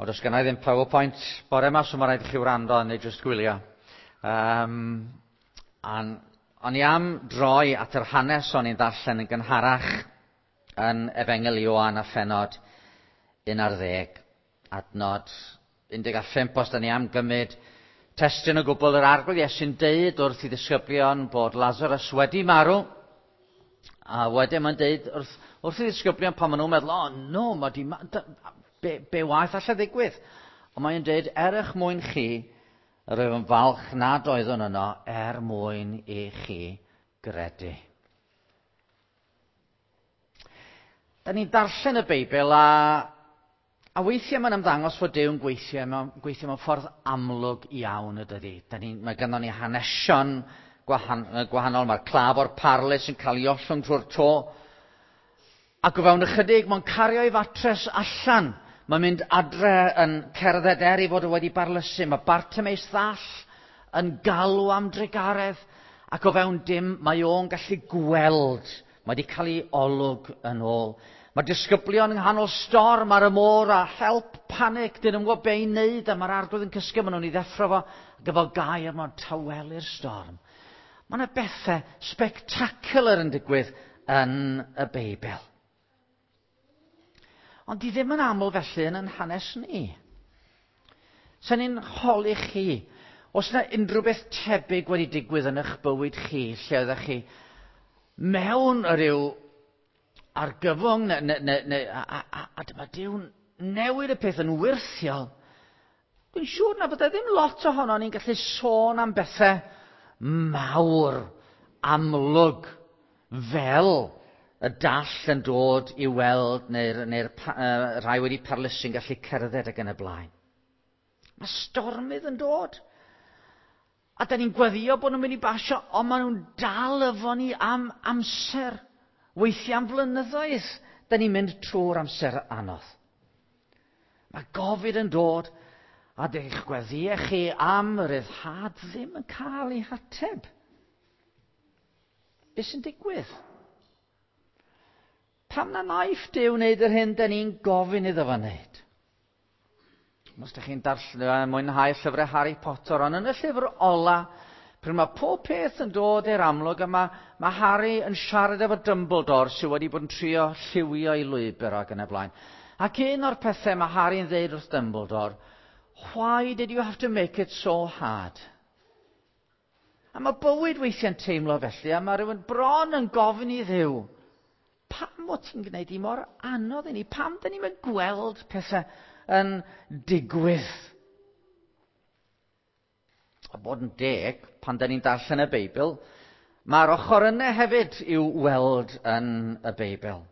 Wel, does gennai ddim PowerPoint bore yma, so mae rhaid i chi wrando neu jyst gwylio. Um, an, o'n i am droi at yr hanes o'n i'n darllen yn gynharach yn Efengyl Ioan a phenod 11, adnod 15, os da ni am gymryd testun o gwbl yr Arglwydd Iesu'n deud wrth i ddisgyblion bod Lazarus wedi marw, a wedyn mae'n deud wrth, wrth i ddisgyblion pan maen nhw'n meddwl, oh no, mae di, be, be waeth allai ddigwydd? Ond mae'n deud, er eich mwyn chi, yr oedd yn falch nad oeddwn yno er mwyn i chi gredu. Da ni'n darllen y Beibl a, a weithiau mae'n ymddangos fod Duw'n gweithio mewn, gweithio mewn ffordd amlwg iawn y dydy. Da ni, mae ganddo ni hanesion gwahan, gwahanol, mae'r claf o'r parlys yn cael ei ollwng trwy'r to. Ac o fewn ychydig, mae'n cario ei fatres allan. Mae'n mynd adre yn cerdded er ei fod o wedi barlysu. Mae Bartimeus ddall yn galw am drugaredd, ac o fewn dim mae o'n gallu gweld. Mae wedi cael ei olwg yn ôl. Mae disgyblion yng nghanol storm ar y môr a help, panic, dyn nhw'n gwybod be i wneud a mae'r arglwydd yn cysgu, maen nhw'n ei ddeffro fo, ac efo gair mae'n tawelu'r storm. Mae yna bethau spectacular yn digwydd yn y Beibl. Ond di ddim yn aml felly yn yn hanes ni. Sa'n ni'n holi chi, os yna unrhyw beth tebyg wedi digwydd yn eich bywyd chi, lle oeddech chi mewn rhyw argyfwng, neu, neu, neu, neu, a, a, a, a dyma Duw'n newid y peth yn wyrthiol, dwi'n siŵr na fyddai ddim lot ohono ni'n gallu sôn am bethau mawr, amlwg, fel y dall yn dod i weld neu'r neu uh, rhai wedi parlysu'n gallu cerdded ac yn y blaen. Mae stormydd yn dod. A da ni'n gweddio bod nhw'n mynd i basio, ond maen nhw'n dal efo ni am amser. Weithiau am flynyddoedd, da ni'n mynd trwy'r amser anodd. Mae gofid yn dod, a dych gweddiau chi am y ryddhad ddim yn cael ei hateb. Be sy'n digwydd? Pam na wnaeth Duw wneud yr hyn da ni'n gofyn iddo fo wneud? Os ydych chi'n darllen, mwynhau llyfrau Harry Potter, ond yn y llyfr ola, pryd mae pob peth yn dod i'r amlwg, a mae, mae Harry yn siarad efo Dumbledore sydd wedi bod yn trio lliwio ei lwybr ac yn y blaen. Ac un o'r pethau mae Harry'n dweud wrth Dumbledore, why did you have to make it so hard? A mae bywyd weithiau'n teimlo felly, a mae rhywun bron yn gofyn i Dduw, pam o ti'n gwneud i mor anodd i ni? Pam dyn ni'n gweld pethau yn digwydd? A bod yn deg, pan dyn ni'n darllen y Beibl, mae'r ochr yna hefyd i'w weld yn y Beibl.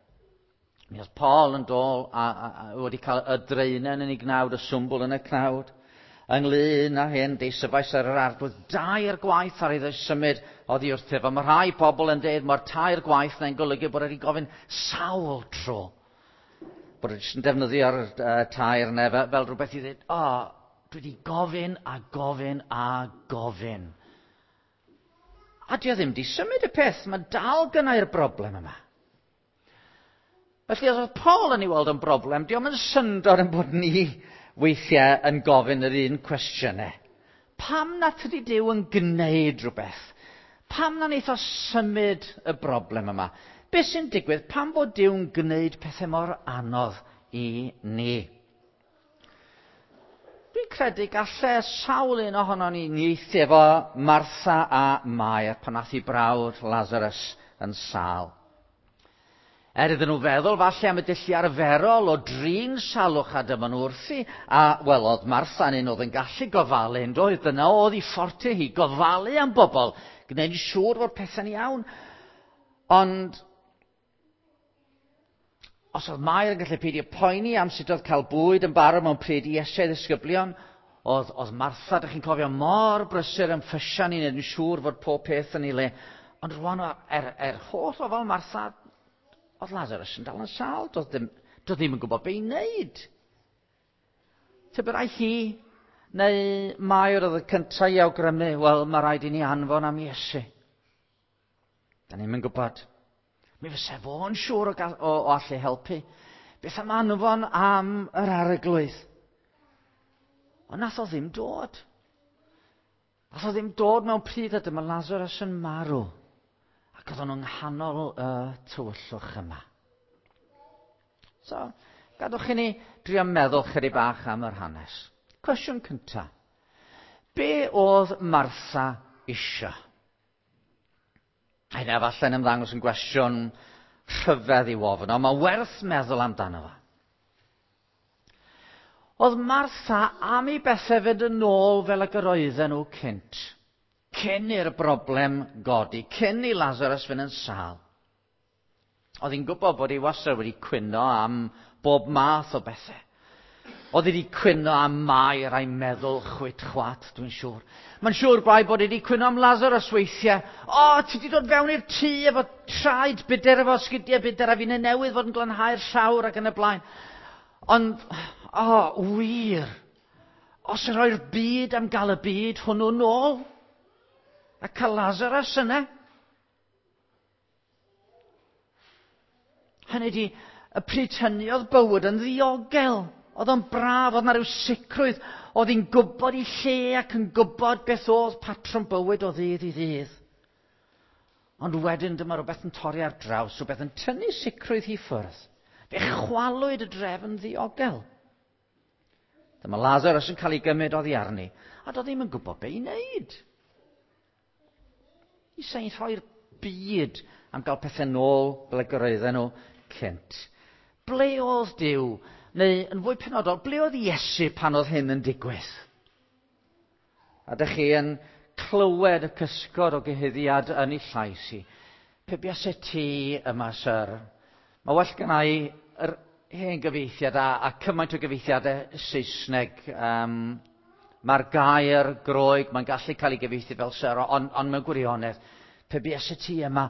Mi oedd Paul yn dod a, a, a wedi cael y draenen yn ei gnawd, y swmbwl yn y cnawd, ynglyn â hyn, deisyfais ar yr arglwydd dair gwaith ar iddo symud oddi wrthyf. A mae rhai pobl yn dweud mae'r tair gwaith na'n golygu bod wedi gofyn sawl tro. Bod wedi yn defnyddio'r uh, tair neu fel, fel rhywbeth i ddweud, o, oh, dwi wedi gofyn a gofyn a gofyn. A di o ddim di symud y peth, mae dal gynnau'r broblem yma. Felly, os oedd Paul yn ei weld yn broblem, diolch yn syndod yn bod ni weithiau yn gofyn yr un cwestiynau. Pam na tydi Duw yn gwneud rhywbeth? Pam na wneith o symud y broblem yma? Be sy'n digwydd? Pam fod Duw'n gwneud pethau mor anodd i ni? Dwi'n credu gallai sawl un ohono ni nieithu efo Martha a Mair pan nath i brawd Lazarus yn sâl. Er iddyn nhw feddwl falle am y dulliau arferol o drin salwch a dyma nhw wrthi, a wel, oedd Martha'n un oedd yn gallu gofalu, yn doedd, dyna oedd ei fforte hi, gofalu am bobl, gwneud yn siŵr fod pethau'n iawn. Ond os oedd Mair yn gallu peidio poeni am sut oedd cael bwyd yn barod mewn pryd i Iesu a'i ddisgyblion, oedd, oedd Martha, dych chi'n cofio, mor brysur yn ffysian i wneud yn siŵr fod pob peth yn ei le. Ond rwan, er, er holl ofal Martha, oedd Lazarus yn dal yn sâl, doedd ddim, doedd ddim yn gwybod be i wneud. Tybed ai hi, neu Mair oedd y cyntaf i awgrymu, wel, mae rhaid i ni anfon am Iesu. Da ni'n mynd gwybod. Mi fysa fo'n siŵr o, o, o allu helpu. Beth am anfon am yr arglwydd? Ond nath o ddim dod. Nath o ddim dod mewn pryd a dyma Lazarus yn marw. Ac oedden nhw'n nghanol y tywyllwch yma. So, gadwch i ni drio meddwl chydig bach am yr hanes. Cwestiwn cyntaf. Be oedd Martha isio? Hynna falle'n ymddangos yn gwestiwn rhyfedd i'w ofyn, ond mae werth meddwl amdano fo. Oedd Martha am i bethau fynd yn ôl fel ag yr oedden nhw cynt. Cyn i'r broblem godi, cyn i Lazarus fynd yn sâl. Oedd hi'n gwybod bod ei wastad wedi cwyno am bob math o bethau. Oedd hi wedi cwyno am Mair a'i meddwl chwit chwat, dwi'n siŵr. Mae'n siŵr bai bod hi wedi cwyno am Lazarus weithiau. O, ti wedi dod fewn i'r tŷ efo traed budur, efo sgidiau budur, a fi'n newydd fod yn glanhau'r llawr ac yn y blaen. Ond, o, wir, os yn rhoi'r byd am gael y byd hwnnw nôl, a cael Lazarus yna. Hynny di, y pryd hynny oedd bywyd yn ddiogel. Oedd o'n braf, oedd 'na ryw sicrwydd. Oedd hi'n gwybod ei lle ac yn gwybod beth oedd patrwm bywyd o ddydd i ddydd. Ond wedyn dyma rhywbeth yn torri ar draws, rhywbeth yn tynnu sicrwydd hi ffwrdd. Fe chwalwyd y drefn ddiogel. Dyma Lazarus yn cael ei gymryd oddi arni, a doedd ddim yn gwybod be i wneud. I sain rhoi'r byd am gael pethau nôl fel y gyraedden nhw cynt. Ble oedd Duw? Neu, yn fwy penodol, ble oedd Iesu pan oedd hyn yn digwydd? A dych chi yn clywed y cysgod o gyhuddiad yn ei llais i. Pe buase ti yma, syr? Mae well gynna i yr hen gyfieithiad a cymaint o gyfieithiadau Saesneg. Mae'r gair Groeg, mae'n gallu cael ei gyfieithu fel syr, ond on mewn gwirionedd, pe buase ti yma,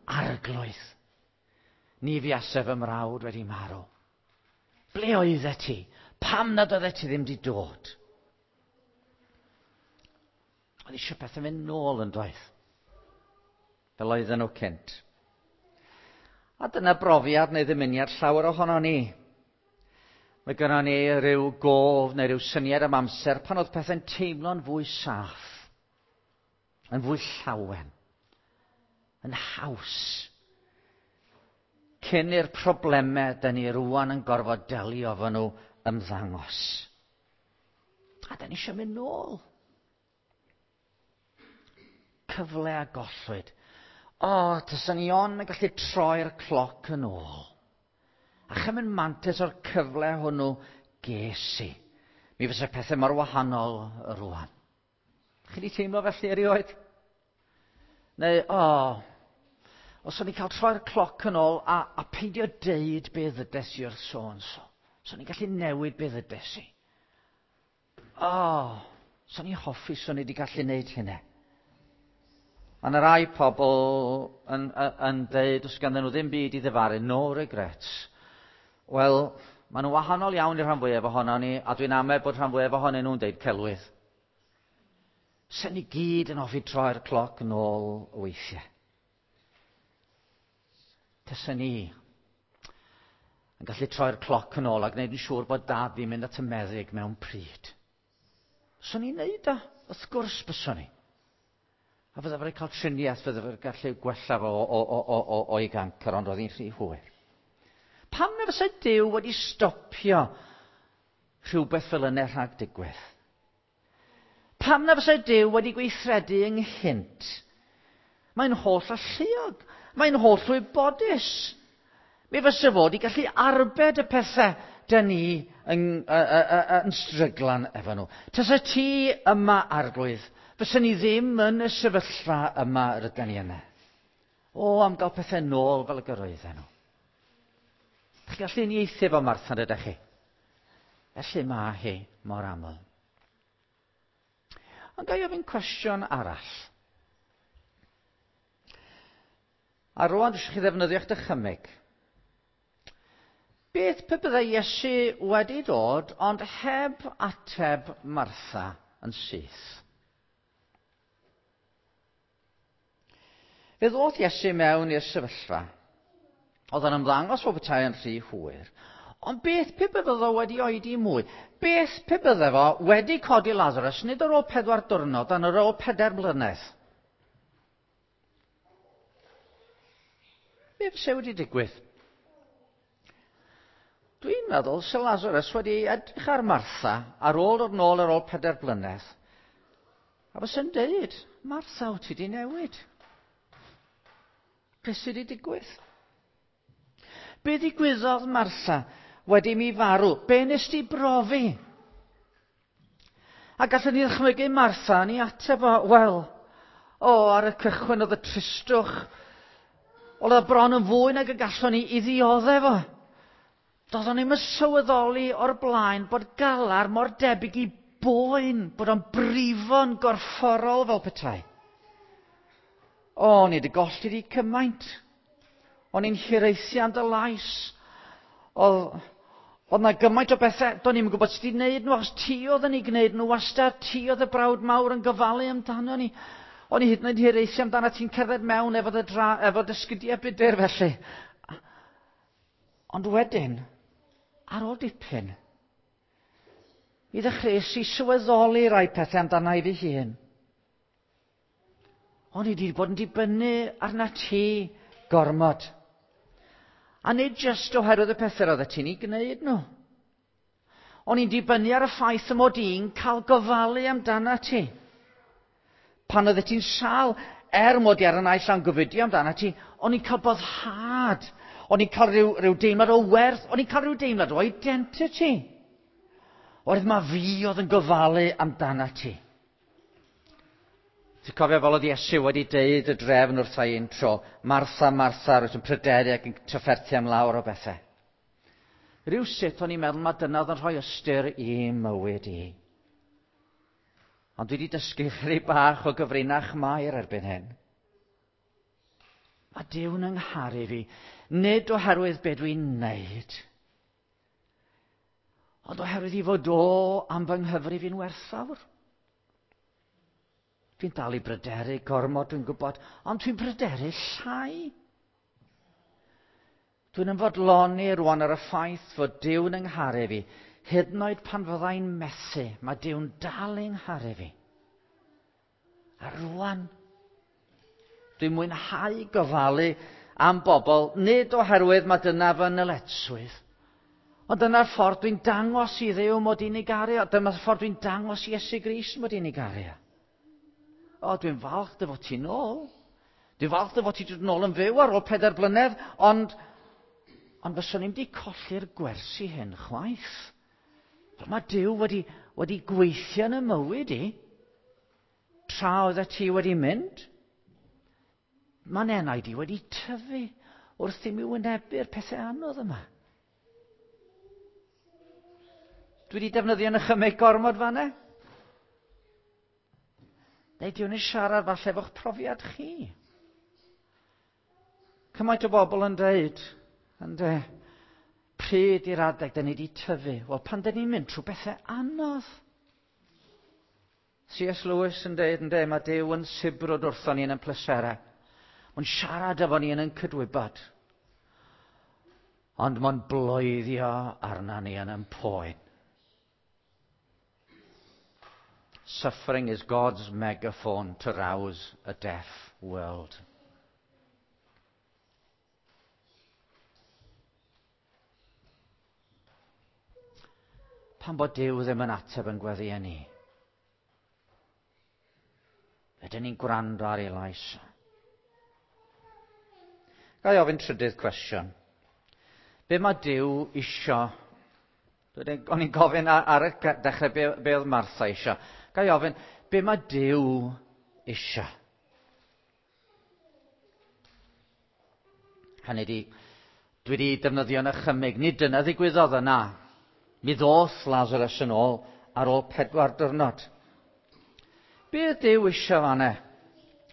arglwydd, ni fuase fy mrawd wedi marw. Ble oeddet ti? Pam nad oeddet ti ddim wedi dod? Oedd eisiau pethau mynd nôl yn doedd. Fel oedden nhw cynt. A dyna brofiad neu ddymuniad llawer ohono ni. Mae gynnon ni ryw gof neu ryw syniad am amser pan oedd pethau'n teimlo'n fwy saff, yn fwy llawen, yn haws. Cyn i'r problemau dyn ni rwan yn gorfod delio efo nhw ymddangos. A dyn ni eisiau mynd nôl. Cyfle a gollwyd. O, taswn ni ond yn gallu troi'r cloc yn ôl. A chymryd mantais o'r cyfle hwnnw ges i. Mi fysa pethau mor wahanol rwan. Chi wedi teimlo felly erioed? Neu, o, os o'n i'n cael troi'r cloc yn ôl a peidio deud be ddydes i wrth so and so. So o'n i'n gallu newid be ddydes i. O, so o'n i'n hoffi, so o'n i wedi gallu neud hynna. Mae yna rai pobl yn deud, os ganddyn nhw ddim byd i ddifaru, no regrets. Wel, maen nhw'n wahanol iawn i'r rhan fwyaf ohono ni, a dwi'n amau bod rhan fwyaf ohonyn nhw'n deud celwydd. Sen ni gyd yn hoffi troi'r cloc yn ôl weithiau. Tysen ni yn gallu troi'r cloc yn ôl a gwneud yn siŵr bod dad fi'n mynd at y meddyg mewn pryd. Swn i'n neud o, wrth gwrs byswn i. A fydda fe'n cael triniaeth, fydda fe'n gallu gwella fo o'i gancr, ond oedd hi'n rhy hwyr. Pam na fysa Duw wedi stopio rhywbeth fel yna rhag digwydd? Pam na fysa Duw wedi gweithredu ynghynt? Mae'n holl alluog. Mae'n holl wybodus. Mi fysa fo wedi gallu arbed y pethau dyn ni yn stryglan efo nhw. Tasa ti yma, arglwydd, fysa ni ddim yn y sefyllfa yma rydyn ni yna. O, am gael pethau nôl fel y gyroedden nhw. Chi'n gallu uniaethu efo Martha, ydych chi? Felly mae hi mor aml. Ond ga i ofyn cwestiwn arall. A rwan dwi eisiau chi ddefnyddio'ch dychymyg. Beth pe byddai Iesu wedi dod ond heb ateb Martha yn syth? Fe ddoth Iesu mewn i'r sefyllfa. Oedd yn ymddangos bod petai yn rhy hwyr. Ond beth pe bydde fo wedi oedi mwy? Beth pe bydde fo wedi codi Lazarus, nid ar ôl 4 diwrnod, ond ar ôl 4 blynedd? Be fyse wedi digwydd? Dwi'n meddwl se Lazarus wedi edrych ar Martha ar ôl dod nôl ar ôl 4 blynedd, a fyse'n deud, Martha, wyt ti wedi newid? Beth sydd wedi digwydd? Be ddigwyddodd, Martha, wedi mi farw? Be nes ti brofi? A gallwn ni ddychmygu Martha yn ei ateb o, wel, o, ar y cychwyn oedd y tristwch, oedd o bron yn fwy nag y gallwn ni i ddioddef o. Doeddwn ni'm yn sylweddoli o'r blaen bod galar mor debyg i boen, bod o'n brifo'n gorfforol fel petai. O, ni wedi golli di cymaint. O'n i'n hiraethu am dy lais. Oedd na gymaint o bethau, do'n i'm yn gwybod sut i wneud nhw, achos ti oedd yn ei gwneud nhw wastad, ti oedd y brawd mawr yn gofalu amdano ni. O'n i hyd yn oed hiraethu amdano ti'n cerdded mewn efo dy efo dy sgidiau budur felly. Ond wedyn, ar ôl dipyn, mi ddechreuais i sylweddoli rai pethau amdana i fy hun. O'n i wedi bod yn dibynnu arna ti gormod. A nid jyst oherwydd y pethau roeddet ti'n ei gwneud nhw. O'n i'n dibynnu ar y ffaith y mod i'n cael gofalu amdana ti. Pan oeddet ti'n sâl, mod i ar y naill la'n gofidio amdana ti, o'n i'n cael boddhad. O'n i'n cael rhyw deimlad o werth, o'n i'n cael rhyw deimlad o identity. Oherwydd ma fi oedd yn gofalu amdana ti. Ti'n cofio fel oedd Iesu wedi deud y drefn wrtha i un tro, Martha, Martha, rwyt yn pryderu ac yn trafferthu am lawr o bethau. Rhywsut o'n i'n meddwl mae dyna oedd yn rhoi ystyr i mywyd i. Ond dwi wedi dysgu chydig bach o gyfrinach Mair erbyn hyn. Mae Duw'n yng ngharu fi, nid oherwydd be dwi'n wneud, ond oherwydd i fod o am fy nghyfrif i'n werthfawr. Dwi'n dal i bryderu gormod, dwi'n gwybod, ond dwi'n bryderu llai. Dwi'n ymfodloni rwan ar y ffaith fod Duw'n yng ngharu fi, hyd yn oed pan fyddai'n methu, mae Duw'n dal yng ngharu fi. A rwan, dwi'n mwynhau gofalu am bobl, nid oherwydd mae dyna fy nyletswydd, ond dyna'r ffordd dwi'n dangos i Dduw mod i'n ei garu, a dyma'r ffordd dwi'n dangos i Iesu Grist mod i'n ei garu. O, dwi'n falch dy fod ti'n ôl. Dwi'n falch dy fod ti dod nôl yn fyw ar ôl 4 blynedd, ond fyswn i'm di colli'r gwersi hyn chwaith. Fel mae Duw wedi gweithio yn y mywyd i, tra oeddet ti wedi mynd. Mae'n enaid i wedi tyfu wrth i mi wynebu'r pethau anodd yma. Dwi wedi defnyddio yn nychymyg gormod fan'na. Neu di hwn yn siarad falle efo'ch profiad chi. Cymaint o bobl yn deud, ynde, pryd i'r adeg da ni wedi tyfu? Wel, pan da ni'n mynd trwy bethau anodd. C.S. Lewis yn deud, ynde, mae Duw yn sibrwd wrthon ni yn ein pleserau. Mae'n siarad efo ni yn ein cydwybod. Ond mae'n bloeddio arna ni yn ein poen. Suffering is God's megaphone to rouse a deaf world. Pan bod Duw ddim yn ateb yn gweddïau ni, ydyn ni'n gwrando ar ei lais. Ga i ofyn trydydd cwestiwn. Be mae Duw isio? O'n i'n gofyn ar y dechrau be oedd Martha isio. Ga i ofyn, be mae Duw isio? Hynny ydi, dwi wedi defnyddio yn ychymyg. Nid dyna ddigwyddodd yna. Mi ddoth Lazarus yn ôl ar ôl 4 diwrnod. Be oedd Duw isio fan'na?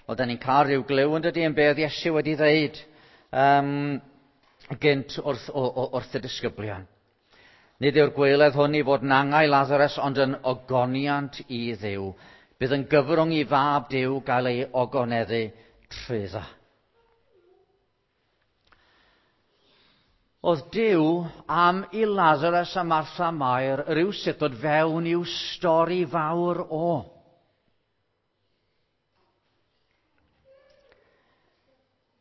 Wel, da ni'n cael rhyw glyw yn dydi yn be oedd Iesu wedi ddeud gynt wrth y disgyblion. Nid yw'r gwaeledd hwn i fod yn angau Lazarus, ond yn ogoniant i Dduw. Bydd yn gyfrwng i fab Duw gael ei ogoneddu trwyddo. Oedd Duw am i Lazarus a Martha Mair rywsut dod fewn i'w stori fawr o.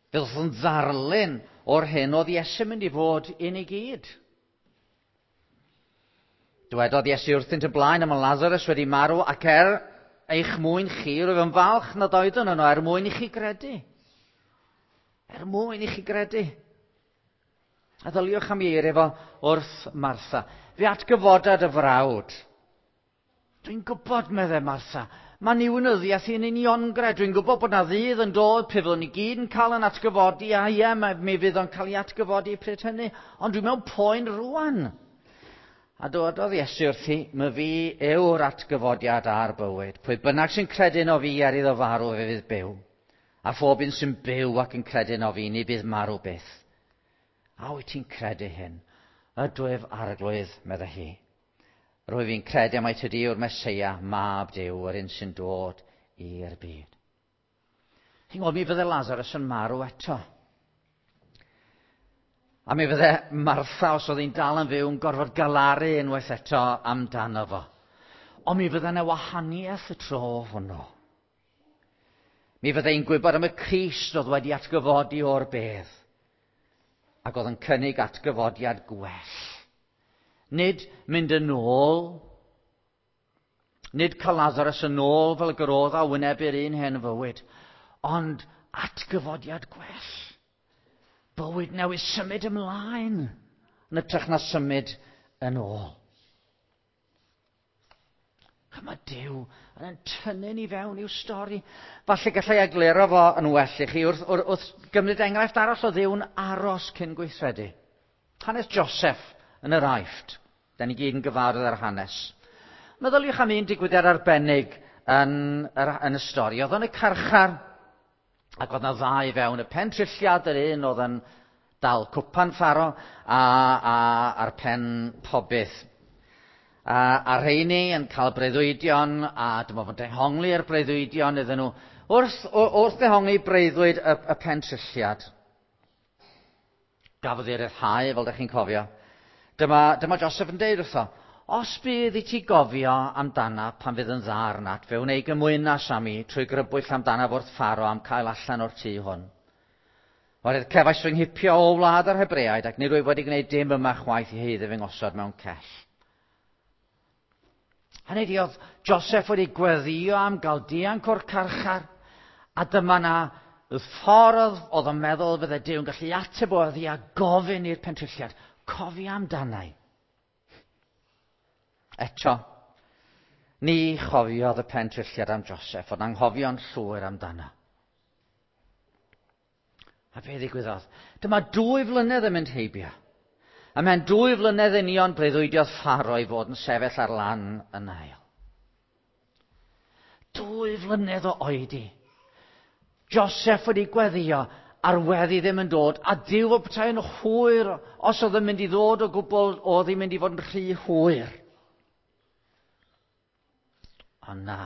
Fe ddoth yn ddarlun o'r hyn oedd Iesu'n mynd i fod i ni gyd. Dywedodd Iesu wrthynt y blaen am y Lazarus wedi marw ac er eich mwyn chi, rwyf yn falch nad oeddwn yno er mwyn i chi gredu. Er mwyn i chi gredu. A ddyliwch am ei eiriau fo wrth Martha. Fe atgyfodad y frawd. Dwi'n gwybod, meddai Martha, mae niwinyddiaeth i'n uniongred. Dwi'n gwybod bod na ddydd yn dod pe fyddwn ni gyd yn cael yn atgyfodi, a ie, mi fydd o'n cael ei atgyfodi pryd hynny, ond dwi'n mewn poen rwan. A dywedodd Iesu wrthi, my fi yw'r atgyfodiad a'r bywyd. Pwy bynnag sy'n credu yno fi er iddo farw, fe fydd byw. A phob un sy'n byw ac yn credu yno fi, ni bydd marw byth. A wyt ti'n credu hyn? Ydwyf arglwydd, meddai hi. Rwyf fi'n credu mai tydi yw'r Meseia, mab Duw, yr un sy'n dod i'r byd. Chi'n gwybod, mi fydde Lazarus yn marw eto. A mi fydde Martha, os oedd hi'n dal yn fyw, yn gorfod galaru unwaith eto amdano fo. Ond mi fydde yna wahaniaeth y tro hwnnw. Mi fydde hi'n gwybod am y Crist oedd wedi atgyfodi o'r bedd ac oedd yn cynnig atgyfodiad gwell. Nid mynd yn ôl, nid cael Lazarus yn ôl fel gyrodd a wynebu'r un hen fywyd, ond atgyfodiad gwell. Bywyd newydd symud ymlaen yn ytrach na symud yn ôl. A mae Duw yn tynnu ni fewn i'w stori. Falle gallai egluro fo yn well i chi wrth, wrth, wrth gymryd enghraifft arall o Dduw'n aros cyn gweithredu. Hanes Joseph yn yr Aifft. Da ni gyd yn gyfarwydd ar hanes. Meddyliwch am un digwyddiad arbennig yn, yr, yn y stori. Oedd yn y carchar, ac oedd yna ddau fewn y pen trilliad, yr un oedd yn dal cwpan Pharo, a, a, a'r pen pobydd. A, a rheini yn cael breuddwydion, a dyma fo'n dehongli'r breuddwydion iddyn nhw. Wrth, wrth ddehongli breuddwyd y, y pen trilliad, gafodd ei ryddhau, fel ydych chi'n cofio. Dyma, dyma Joseph yn deud wrtho, os bydd i ti gofio amdana pan fydd yn dda arnat, fe wnei gymwynas am i trwy grybwyll amdana wrth Pharo am cael allan o'r tŷ hwn. Oherwydd cefais fy nghipio o wlad yr Hebreaid ac nid wyf wedi gwneud dim yma chwaith i haeddu fy ngosod mewn cell. Hynny ydi, oedd Joseph wedi gweddio am gael dianc o'r carchar, a dyma na y ffordd oedd o'n meddwl fydde Duw yn gallu ateb o oedd i a gofyn i'r pentrilliad, cofia amdanau. Eto, ni chofiodd y pentrilliad am Joseph, ond anghofio'n llwyr amdano. A be ddigwyddodd? Dyma dwy flynedd yn mynd heibio. A mewn dwy flynedd union breuddwydiodd Pharo i fod yn sefyll ar lan y Nail. Dwy flynedd o oedi. Joseph wedi gweddio a'r weddi ddim yn dod, a Duw o petai yn hwyr, os oedd yn mynd i ddod o gwbl, oedd hi'n mynd i fod yn rhy hwyr. Ond na.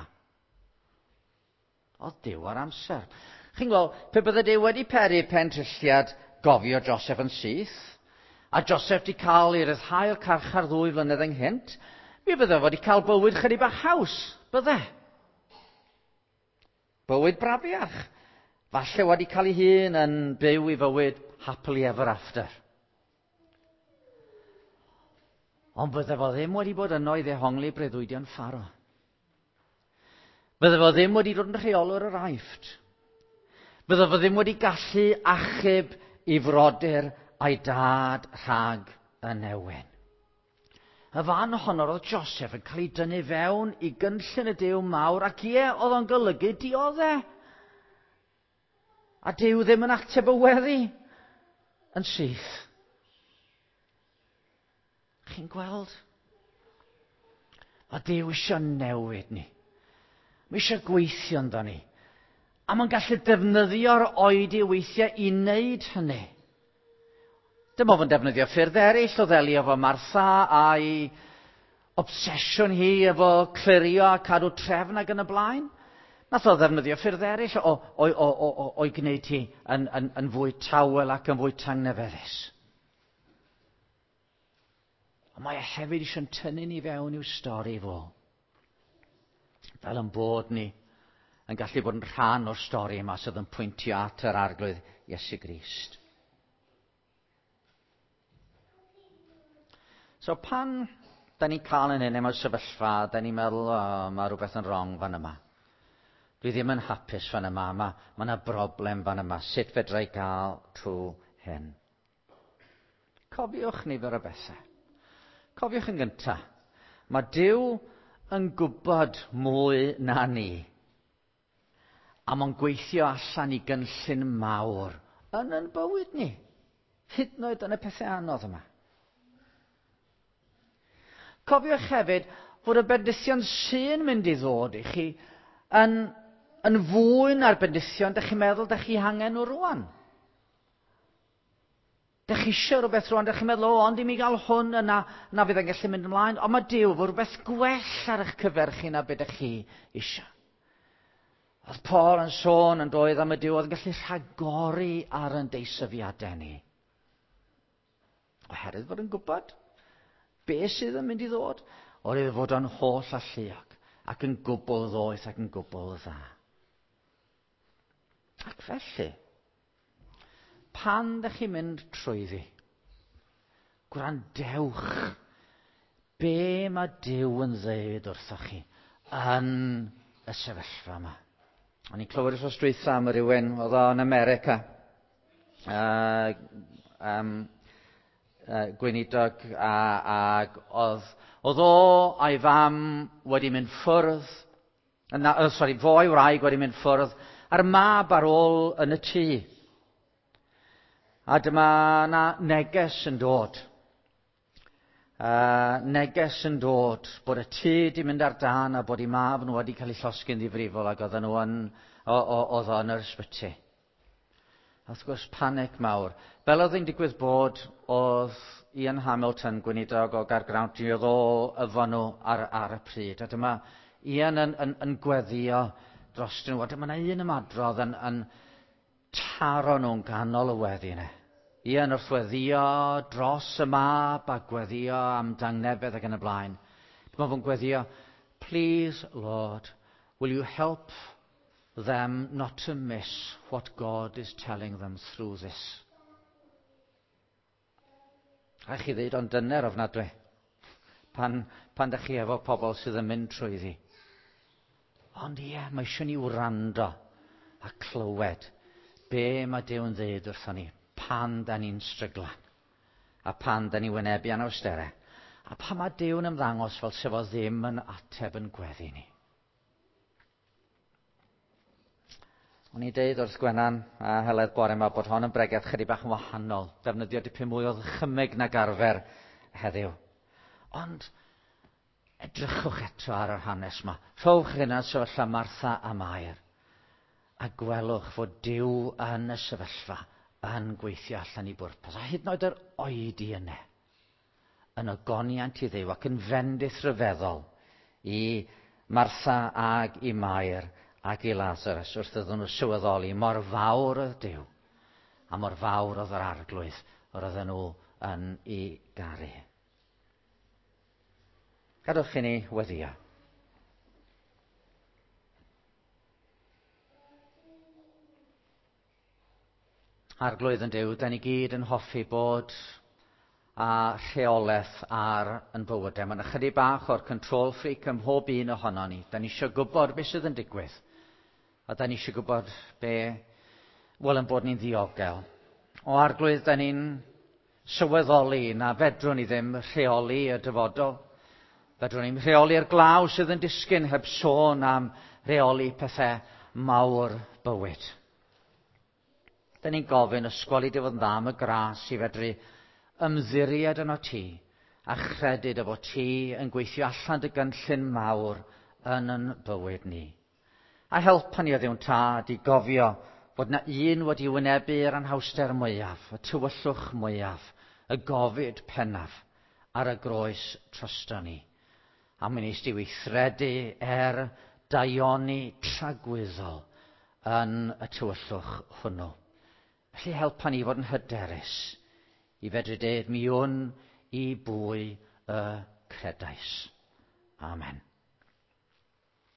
Oedd Duw ar amser. Chi'n gweld, pe bydde Duw wedi peri pentrilliad gofio Joseph yn syth, a Joseph di cael ei ryddhau o'r carchar ddwy flynedd ynghynt, mi fydde fo wedi cael bywyd chydig bach haws, bydde? Bywyd brafiach. Falle wedi cael ei hun yn byw i fywyd happily ever after. Ond bydde fo ddim wedi bod yno i ddehongli breuddwydion Pharo. Bydde fo ddim wedi dod yn rheolwr yr Aifft. Bydde fo ddim wedi gallu achub i frodyr a'i dad rhag y newyn. Y fan honno roedd Joseph yn cael ei dynnu fewn i gynllun y Duw mawr ac ie, oedd o'n golygu diodde. A Duw ddim yn ateb y weddi yn syth. Chi'n gweld? Mae Duw eisiau newid ni. Mae eisiau gweithio ynddo ni. A mae'n gallu defnyddio'r oedi weithiau i wneud hynny. Dyma fo'n defnyddio ffyrdd eraill o ddelio efo Martha a'i obsesiwn hi efo clirio a cadw trefn ac yn y blaen. Nath o ddefnyddio ffyrdd eraill o, o, o, o, o, o'i gwneud hi yn, yn, yn fwy tawel ac yn fwy tangnefeddus. Ond mae e hefyd eisiau'n tynnu ni fewn i'w stori fo. Fel yn bod ni yn gallu bod yn rhan o'r stori yma sydd yn pwyntio at yr Arglwydd Iesu Grist. So pan da ni'n cael yn hyn mewn sefyllfa, da ni'n meddwl, oh, mae rhywbeth yn wrong fan yma. Dwi ddim yn hapus fan yma, mae yna broblem fan yma. Sut fedra i gael trwy hyn? Cofiwch nifer o bethau. Cofiwch yn gyntaf, mae Duw yn gwybod mwy na ni. A mae'n gweithio allan i gynllun mawr yn yn bywyd ni. Hyd yn oed yn y pethau anodd yma. Cofiwch hefyd fod y bendithion sy'n mynd i ddod i chi yn, yn fwy na'r bendithion dych chi'n meddwl dych chi hangen nhw rwan. Dych chi eisiau rhywbeth rwan, dych chi'n meddwl, o, ond i mi gael hwn yna, na fydd yn gallu mynd ymlaen. Ond mae Duw fo rhywbeth gwell ar eich cyfer chi na beth ydych chi eisiau. Oedd Paul yn sôn yn doedd am y Duw oedd yn gallu rhagori ar yn deisyfiadau ni. Oherwydd fod yn gwybod be sydd yn mynd i ddod, oherwydd fod o'n holl alluog ac yn gwbl ddoeth ac yn gwbl dda. Ac felly, pan ddech chi'n mynd trwyddi, gwrandewch be mae Duw yn ddeud wrthoch chi yn y sefyllfa yma. O'n i'n clywed wrth dwytha am rhywun, oedd o'n America, gweinidog, ac oedd, oedd o a'i fam wedi mynd ffwrdd, na, sorry, fo a'i wraig wedi mynd ffwrdd, a'r mab ar ôl yn y tŷ. A dyma na neges yn dod. Neges yn dod bod y tŷ di mynd ar dân a bod ei mab nhw wedi cael ei llosgi'n ddifrifol ac oedden nhw yn, oedd o yn yr ysbyty. A wrth gwrs, panic mawr. Fel oedd hi'n digwydd bod, oedd Ian Hamilton, gweinidog o Gaergrawnt, oedd o efo nhw ar, ar y pryd. A dyma Ian yn, yn, yn gweddio dros nhw. A dyma yna un ymadrodd yn, yn taro nhw'n ganol y weddi yna. Ian wrth weddio dros y mab a gweddio am dangnefedd ac yn y blaen. Dyma fo'n gweddio, please Lord, will you help them not to miss what God is telling them through this. Rhaid chi ddeud ond dyner ofnadwy. Pan, pan ydych chi efo pobl sydd yn mynd trwyddi. Ond ie, mae eisiau ni wrando a clywed be mae Duw yn ddeud wrthon ni pan da ni'n stryglan a pan da ni'n wynebu anawsterau a pan mae Duw yn ymddangos fel sef o ddim yn ateb yn gweddi ni. O'n i'n deud wrth Gwenan a Heledd bore yma bod hon yn bregeth chydig bach yn wahanol, defnyddio dipyn mwy o ddychymyg nag arfer heddiw. Ond edrychwch eto ar yr hanes yma. Rhowch hynna sefyllfa Martha a Mair a gwelwch fod Duw yn y sefyllfa yn gweithio allan i bwrpas. A hyd yn oed yr oedi yna, yn ogoniant i Dduw ac yn fendith rhyfeddol i Martha ag i Mair ac i Lazarus wrth iddyn nhw sylweddoli mor fawr oedd Duw a mor fawr oedd yr arglwydd yr oedden nhw yn ei garu. Gadewch i ni weddio. Arglwydd yn Duw, da ni gyd yn hoffi bod a rheolaeth ar yn bywydau. Mae'n ychydig bach o'r control freak ym mhob un ohono ni. Da ni eisiau gwybod beth sydd yn digwydd. A da ni eisiau gwybod be, wel, yn bod ni'n ddiogel. O arglwydd, da ni'n sylweddoli na fedrwn ni ddim rheoli y dyfodol. Fedrwn ni'n rheoli'r glaw sydd yn disgyn heb sôn am reoli pethau mawr bywyd. Da ni'n gofyn ysgoli dy fod yn dda am y gras i fedru ymddiried yno ti a chredu dy fod ti yn gweithio allan dy gynllun mawr yn yn bywyd ni. A helpa ni o ddiwn tad i gofio fod na un wedi wynebu'r anhawster mwyaf, y tywyllwch mwyaf, y gofid pennaf ar y groes drosto ni. A mi wnes di weithredu er daioni tragwyddol yn y tywyllwch hwnnw. Felly helpa ni fod yn hyderus i fedru dweud mi wn i bwy y credais. Amen.